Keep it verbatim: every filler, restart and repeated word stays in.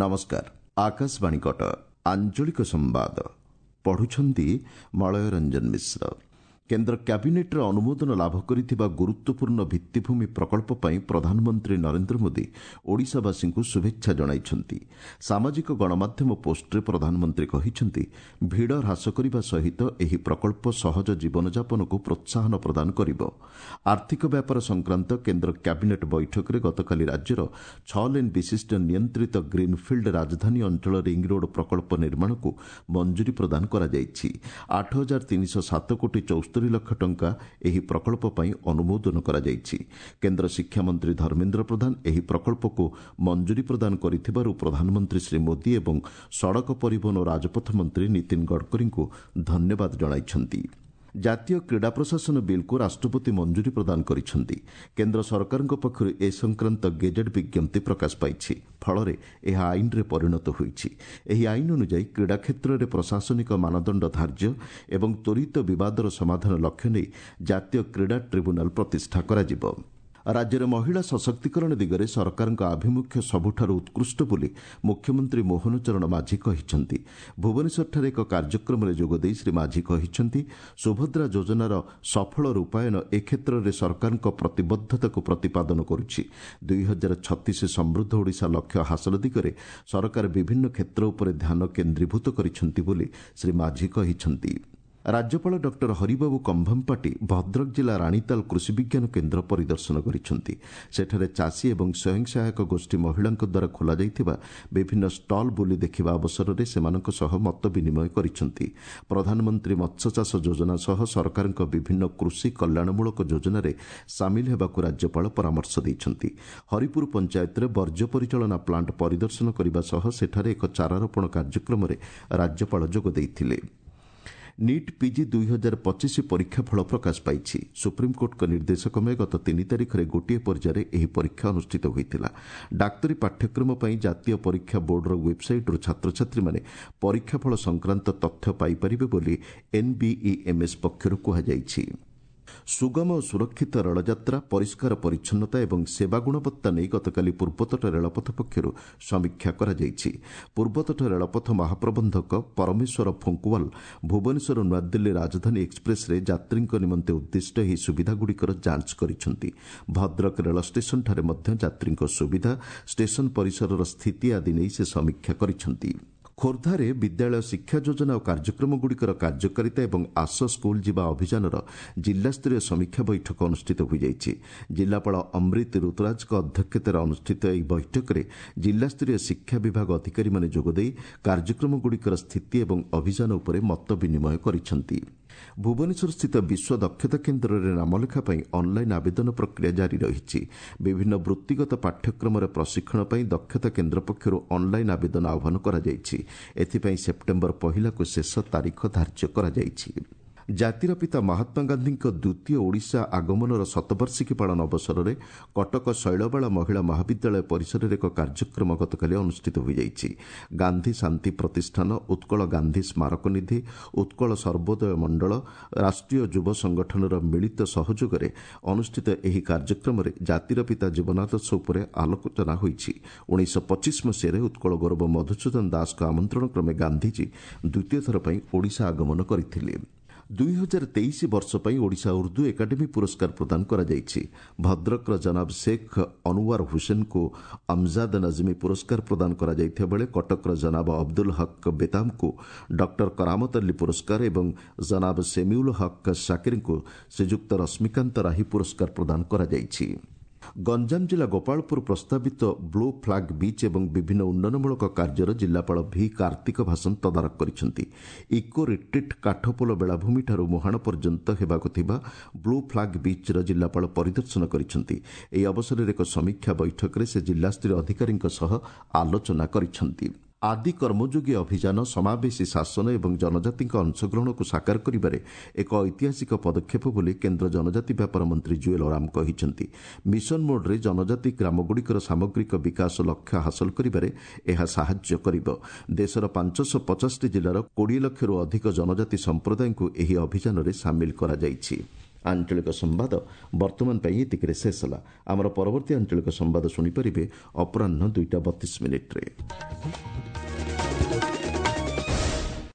ନମସ୍କାର ଆକାଶବାଣୀ କଟକ ଆଞ୍ଚଳିକ ସମ୍ବାଦ ପଢୁଛନ୍ତି ମଳୟ ରଞ୍ଜନ ମିଶ୍ର କେନ୍ଦ୍ର କ୍ୟାବିନେଟ୍ର ଅନୁମୋଦନ ଲାଭ କରିଥିବା ଗୁରୁତ୍ୱପୂର୍ଣ୍ଣ ଭିତ୍ତିଭୂମି ପ୍ରକଳ୍ପ ପାଇଁ ପ୍ରଧାନମନ୍ତ୍ରୀ ନରେନ୍ଦ୍ର ମୋଦି ଓଡ଼ିଶାବାସୀଙ୍କୁ ଶୁଭେଚ୍ଛା ଜଣାଇଛନ୍ତି ସାମାଜିକ ଗଣମାଧ୍ୟମ ପୋଷ୍ଟରେ ପ୍ରଧାନମନ୍ତ୍ରୀ କହିଛନ୍ତି ଭିଡ଼ ହ୍ରାସ କରିବା ସହିତ ଏହି ପ୍ରକଳ୍ପ ସହଜ ଜୀବନଯାପନକୁ ପ୍ରୋତ୍ସାହନ ପ୍ରଦାନ କରିବ ଆର୍ଥିକ ବ୍ୟାପାର ସଂକ୍ରାନ୍ତ କେନ୍ଦ୍ର କ୍ୟାବିନେଟ୍ ବୈଠକରେ ଗତକାଲି ରାଜ୍ୟର ଛଅ ଲେନ୍ ବିଶିଷ୍ଟ ନିୟନ୍ତ୍ରିତ ଗ୍ରୀନ୍ଫିଲ୍ଡ ରାଜଧାନୀ ଅଞ୍ଚଳ ରିଙ୍ଗରୋଡ୍ ପ୍ରକଳ୍ପ ନିର୍ମାଣକୁ ମଞ୍ଜୁରୀ ପ୍ରଦାନ କରାଯାଇଛି ଆଠ ହଜାର ତିନିଶହ ସାତ କୋଟି ଚଉସ୍ତରୀ ଲକ୍ଷ ଟଙ୍କା ଏହି ପ୍ରକଳ୍ପ ପାଇଁ ଅନୁମୋଦନ କରାଯାଇଛି କେନ୍ଦ୍ର ଶିକ୍ଷାମନ୍ତ୍ରୀ ଧର୍ମେନ୍ଦ୍ର ପ୍ରଧାନ ଏହି ପ୍ରକଳ୍ପକୁ ମଞ୍ଜୁରୀ ପ୍ରଦାନ କରିଥିବାରୁ ପ୍ରଧାନମନ୍ତ୍ରୀ ଶ୍ରୀ ମୋଦି ଏବଂ ସଡ଼କ ପରିବହନ ଓ ରାଜପଥ ମନ୍ତ୍ରୀ ନୀତିନ ଗଡ଼କରୀଙ୍କୁ ଧନ୍ୟବାଦ ଜଣାଇଛନ୍ତି ଜାତୀୟ କ୍ରୀଡ଼ା ପ୍ରଶାସନ ବିଲ୍କୁ ରାଷ୍ଟ୍ରପତି ମଞ୍ଜୁରୀ ପ୍ରଦାନ କରିଛନ୍ତି କେନ୍ଦ୍ର ସରକାରଙ୍କ ପକ୍ଷରୁ ଏ ସଂକ୍ରାନ୍ତ ଗେଜେଟ୍ ବିଜ୍ଞପ୍ତି ପ୍ରକାଶ ପାଇଛି ଫଳରେ ଏହା ଆଇନରେ ପରିଣତ ହୋଇଛି ଏହି ଆଇନ ଅନୁଯାୟୀ କ୍ରୀଡ଼ା କ୍ଷେତ୍ରରେ ପ୍ରଶାସନିକ ମାନଦଣ୍ଡ ଧାର୍ଯ୍ୟ ଏବଂ ତ୍ୱରିତ ବିବାଦର ସମାଧାନ ଲକ୍ଷ୍ୟ ନେଇ ଜାତୀୟ କ୍ରୀଡ଼ା ଟ୍ରିବ୍ୟୁନାଲ ପ୍ରତିଷ୍ଠା କରାଯିବ ରାଜ୍ୟରେ ମହିଳା ସଶକ୍ତିକରଣ ଦିଗରେ ସରକାରଙ୍କ ଆଭିମୁଖ୍ୟ ସବୁଠାରୁ ଉତ୍କୃଷ୍ଟ ବୋଲି ମୁଖ୍ୟମନ୍ତ୍ରୀ ମୋହନ ଚରଣ ମାଝୀ କହିଛନ୍ତି ଭୁବନେଶ୍ୱରଠାରେ ଏକ କାର୍ଯ୍ୟକ୍ରମରେ ଯୋଗଦେଇ ଶ୍ରୀ ମାଝୀ କହିଛନ୍ତି ସୁଭଦ୍ରା ଯୋଜନାର ସଫଳ ରୂପାୟନ ଏ କ୍ଷେତ୍ରରେ ସରକାରଙ୍କ ପ୍ରତିବଦ୍ଧତାକୁ ପ୍ରତିପାଦନ କରୁଛି ଦୁଇ ହଜାର ଛତିଶ ସମୃଦ୍ଧ ଓଡ଼ିଶା ଲକ୍ଷ୍ୟ ହାସଲ ଦିଗରେ ସରକାର ବିଭିନ୍ନ କ୍ଷେତ୍ର ଉପରେ ଧ୍ୟାନ କେନ୍ଦ୍ରୀଭୂତ କରିଛନ୍ତି ବୋଲି ଶ୍ରୀ ମାଝୀ କହିଛନ୍ତି ରାଜ୍ୟପାଳ ଡକ୍ଟର ହରିବାବୁ କମ୍ଭମପାଟି ଭଦ୍ରକ ଜିଲ୍ଲା ରାଣୀତାଲ କୃଷି ବିଜ୍ଞାନ କେନ୍ଦ୍ର ପରିଦର୍ଶନ କରିଛନ୍ତି ସେଠାରେ ଚାଷୀ ଏବଂ ସ୍ୱୟଂ ସହାୟକ ଗୋଷ୍ଠୀ ମହିଳାଙ୍କ ଦ୍ୱାରା ଖୋଲାଯାଇଥିବା ବିଭିନ୍ନ ଷ୍ଟଲ୍ ବୁଲି ଦେଖିବା ଅବସରରେ ସେମାନଙ୍କ ସହ ମତ ବିନିମୟ କରିଛନ୍ତି ପ୍ରଧାନମନ୍ତ୍ରୀ ମତ୍ସ୍ୟଚାଷ ଯୋଜନା ସହ ସରକାରଙ୍କ ବିଭିନ୍ନ କୃଷି କଲ୍ୟାଣମୂଳକ ଯୋଜନାରେ ସାମିଲ ହେବାକୁ ରାଜ୍ୟପାଳ ପରାମର୍ଶ ଦେଇଛନ୍ତି ହରିପୁର ପଞ୍ଚାୟତରେ ବର୍ଜ୍ୟ ପରିଚାଳନା ପ୍ଲାଣ୍ଟ ପରିଦର୍ଶନ କରିବା ସହ ସେଠାରେ ଏକ ଚାରାରୋପଣ କାର୍ଯ୍ୟକ୍ରମରେ ରାଜ୍ୟପାଳ ଯୋଗ ଦେଇଥିଲେ ନିଟ୍ ପିଜି ଦୁଇ ହଜାର ପଚିଶ ପରୀକ୍ଷା ଫଳ ପ୍ରକାଶ ପାଇଛି ସୁପ୍ରିମକୋର୍ଟଙ୍କ ନିର୍ଦ୍ଦେଶକ୍ରମେ ଗତ ତିନି ତାରିଖରେ ଗୋଟିଏ ପର୍ଯ୍ୟାୟରେ ଏହି ପରୀକ୍ଷା ଅନୁଷ୍ଠିତ ହୋଇଥିଲା ଡାକ୍ତରୀ ପାଠ୍ୟକ୍ରମ ପାଇଁ ଜାତୀୟ ପରୀକ୍ଷା ବୋର୍ଡର ୱେବ୍ସାଇଟ୍ରୁ ଛାତ୍ରଛାତ୍ରୀମାନେ ପରୀକ୍ଷା ଫଳ ସଂକ୍ରାନ୍ତ ତଥ୍ୟ ପାଇପାରିବେ ବୋଲି ଏନ୍ବିଇଏମ୍ଏସ୍ ପକ୍ଷରୁ କୁହାଯାଇଛି ସୁଗମ ଓ ସୁରକ୍ଷିତ ରେଳଯାତ୍ରା ପରିଷ୍କାର ପରିଚ୍ଛନ୍ନତା ଏବଂ ସେବା ଗୁଣବତ୍ତା ନେଇ ଗତକାଲି ପୂର୍ବତଟ ରେଳପଥ ପକ୍ଷରୁ ସମୀକ୍ଷା କରାଯାଇଛି ପୂର୍ବତଟ ରେଳପଥ ମହାପ୍ରବନ୍ଧକ ପରମେଶ୍ୱର ଫୁଙ୍କୁୱାଲ ଭୁବନେଶ୍ୱର ନୂଆଦିଲ୍ଲୀ ରାଜଧାନୀ ଏକ୍ସପ୍ରେସ୍ରେ ଯାତ୍ରୀଙ୍କ ନିମନ୍ତେ ଉଦ୍ଦିଷ୍ଟ ଏହି ସୁବିଧାଗୁଡ଼ିକର ଯାଞ୍ଚ କରିଛନ୍ତି ଭଦ୍ରକ ରେଳ ଷ୍ଟେସନଠାରେ ମଧ୍ୟ ଯାତ୍ରୀଙ୍କ ସୁବିଧା ଷ୍ଟେସନ ପରିସରର ସ୍ଥିତି ଆଦି ନେଇ ସେ ସମୀକ୍ଷା କରିଛନ୍ତି ଖୋର୍ଦ୍ଧାରେ ବିଦ୍ୟାଳୟ ଶିକ୍ଷା ଯୋଜନା ଓ କାର୍ଯ୍ୟକ୍ରମଗୁଡ଼ିକର କାର୍ଯ୍ୟକାରିତା ଏବଂ ଆସ ସ୍କୁଲ ଯିବା ଅଭିଯାନର ଜିଲ୍ଲାସ୍ତରୀୟ ସମୀକ୍ଷା ବୈଠକ ଅନୁଷ୍ଠିତ ହୋଇଯାଇଛି ଜିଲ୍ଲାପାଳ ଅମ୍ରିତ ଋତୁରାଜଙ୍କ ଅଧ୍ୟକ୍ଷତାରେ ଅନୁଷ୍ଠିତ ଏହି ବୈଠକରେ ଜିଲ୍ଲାସ୍ତରୀୟ ଶିକ୍ଷା ବିଭାଗ ଅଧିକାରୀମାନେ ଯୋଗଦେଇ କାର୍ଯ୍ୟକ୍ରମଗୁଡ଼ିକର ସ୍ଥିତି ଏବଂ ଅଭିଯାନ ଉପରେ ମତ ବିନିମୟ କରିଛନ୍ତି ଭୁବନେଶ୍ୱରସ୍ଥିତ ବିଶ୍ୱ ଦକ୍ଷତା କେନ୍ଦ୍ରରେ ନାମଲେଖା ପାଇଁ ଅନ୍ଲାଇନ୍ ଆବେଦନ ପ୍ରକ୍ରିୟା ଜାରି ରହିଛି ବିଭିନ୍ନ ବୃତ୍ତିଗତ ପାଠ୍ୟକ୍ରମରେ ପ୍ରଶିକ୍ଷଣ ପାଇଁ ଦକ୍ଷତା କେନ୍ଦ୍ର ପକ୍ଷରୁ ଅନ୍ଲାଇନ୍ ଆବେଦନ ଆହ୍ୱାନ କରାଯାଇଛି ଏଥିପାଇଁ ସେପ୍ଟେମ୍ବର ପହିଲାକୁ ଶେଷ ତାରିଖ ଧାର୍ଯ୍ୟ କରାଯାଇଛି ଜାତିର ପିତା ମହାତ୍ମା ଗାନ୍ଧୀଙ୍କ ଦ୍ୱିତୀୟ ଓଡ଼ିଶା ଆଗମନର ଶତବାର୍ଷିକୀ ପାଳନ ଅବସରରେ କଟକ ଶୈଳବାଳା ମହିଳା ମହାବିଦ୍ୟାଳୟ ପରିସରରେ ଏକ କାର୍ଯ୍ୟକ୍ରମ ଗତକାଲି ଅନୁଷ୍ଠିତ ହୋଇଯାଇଛି ଗାନ୍ଧୀ ଶାନ୍ତି ପ୍ରତିଷ୍ଠାନ ଉତ୍କଳ ଗାନ୍ଧୀ ସ୍ମାରକ ନିଧି ଉତ୍କଳ ସର୍ବୋଦୟ ମଣ୍ଡଳ ରାଷ୍ଟ୍ରୀୟ ଯୁବ ସଂଗଠନର ମିଳିତ ସହଯୋଗରେ ଅନୁଷ୍ଠିତ ଏହି କାର୍ଯ୍ୟକ୍ରମରେ ଜାତିର ପିତା ଜୀବନାଦର୍ଶ ଉପରେ ଆଲୋଚନା ହୋଇଛି ଉଣେଇଶହ ପଚିଶ ମସିହାରେ ଉତ୍କଳ ଗୌରବ ମଧୁସୂଦନ ଦାସଙ୍କ ଆମନ୍ତ୍ରଣ କ୍ରମେ ଗାନ୍ଧିଜୀ ଦ୍ୱିତୀୟ ଥର ପାଇଁ ଓଡ଼ିଶା ଆଗମନ କରିଥିଲେ ଦୁଇ ହଜାର ତେଇଶ ବର୍ଷ ପାଇଁ ଓଡ଼ିଶା ଉର୍ଦ୍ଦୁ ଏକାଡେମୀ ପୁରସ୍କାର ପ୍ରଦାନ କରାଯାଇଛି ଭଦ୍ରକର ଜନାବ ଶେଖ୍ ଅନୱାର ହୁସେନଙ୍କୁ ଅମଜାଦ ନଜମୀ ପୁରସ୍କାର ପ୍ରଦାନ କରାଯାଇଥିବା ବେଳେ କଟକର ଜନାବ ଅବଦୁଲ ହକ୍ ବେତାମଙ୍କୁ ଡକ୍ଟର କରାମତ ଅଲ୍ଲୀ ପୁରସ୍କାର ଏବଂ ଜନାବ ସେମିଉଲ ହକ୍ ଶାକିରଙ୍କୁ ଶ୍ରୀଯୁକ୍ତ ରଶ୍ମିକାନ୍ତ ରାହି ପୁରସ୍କାର ପ୍ରଦାନ କରାଯାଇଛି ଗଞ୍ଜାମ ଜିଲ୍ଲା ଗୋପାଳପୁର ପ୍ରସ୍ତାବିତ ବ୍ଲୁ ଫ୍ଲାଗ୍ ବିଚ୍ ଏବଂ ବିଭିନ୍ନ ଉନ୍ନୟନମୂଳକ କାର୍ଯ୍ୟର ଜିଲ୍ଲାପାଳ ଭି କାର୍ତ୍ତିକ ଭାସନ ତଦାରଖ କରିଛନ୍ତି ଇକୋ ରିଟ୍ରିଟ୍ କାଠପୋଲ ବେଳାଭୂମିଠାରୁ ମୁହାଣ ପର୍ଯ୍ୟନ୍ତ ହେବାକୁ ଥିବା ବ୍ଲୁ ଫ୍ଲାଗ୍ ବିଚ୍ର ଜିଲ୍ଲାପାଳ ପରିଦର୍ଶନ କରିଛନ୍ତି ଏହି ଅବସରରେ ଏକ ସମୀକ୍ଷା ବୈଠକରେ ସେ ଜିଲ୍ଲାସ୍ତରୀୟ ଅଧିକାରୀଙ୍କ ସହ ଆଲୋଚନା କରିଛନ୍ତି ଆଦି କର୍ମଯୋଗୀ ଅଭିଯାନ ସମାବେଶୀ ଶାସନ ଏବଂ ଜନଜାତିଙ୍କ ଅଂଶଗ୍ରହଣକୁ ସାକାର କରିବାରେ ଏକ ଐତିହାସିକ ପଦକ୍ଷେପ ବୋଲି କେନ୍ଦ୍ର ଜନଜାତି ବ୍ୟାପାର ମନ୍ତ୍ରୀ ଜୁଏଲ ଓରାମ କହିଛନ୍ତି ମିଶନ ମୋଡ୍ରେ ଜନଜାତି ଗ୍ରାମଗୁଡ଼ିକର ସାମଗ୍ରିକ ବିକାଶ ଲକ୍ଷ୍ୟ ହାସଲ କରିବାରେ ଏହା ସାହାଯ୍ୟ କରିବ ଦେଶର ପାଞ୍ଚଶହ ପଚାଶଟି ଜିଲ୍ଲାର କୋଡ଼ିଏ ଲକ୍ଷରୁ ଅଧିକ ଜନଜାତି ସମ୍ପ୍ରଦାୟଙ୍କୁ ଏହି ଅଭିଯାନରେ ସାମିଲ କରାଯାଇଛି ଆଞ୍ଚଳିକ ସମ୍ବାଦ ବର୍ତ୍ତମାନ ପାଇଁ ଏତିକିରେ ଶେଷ ହେଲା। ଆମର ପରବର୍ତ୍ତୀ ଆଞ୍ଚଳିକ ସମ୍ବାଦ ଶୁଣିପାରିବେ ଅପରାହ୍ନ ଦୁଇଟା ବତିଶ ମିନିଟ୍ରେ।